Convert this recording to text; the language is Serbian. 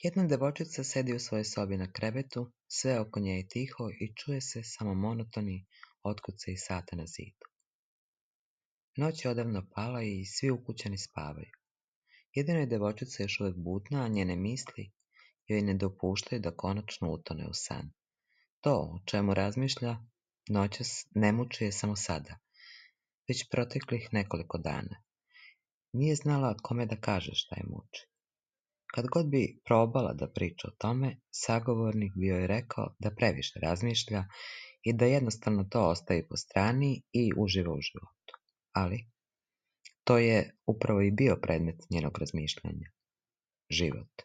Jedna devojčica sedi u svojoj sobi na krevetu, sve oko nje je tiho i čuje se samo monotoni otkucaj sata na zidu. Noć je odavno pala i svi ukućani spavaju. Jedino je devojčica još uvijek budna, a njene misli joj ne dopuštaju da konačno utone u san. To o čemu razmišlja noćas ne muči je samo sada, već proteklih nekoliko dana. Nije znala kome da kaže šta je muči. Kad god bi probala da priča o tome, sagovornik bi joj rekao da previše razmišlja i da jednostavno to ostavi po strani i uživa u životu. Ali to je upravo i bio predmet njenog razmišljanja. Život.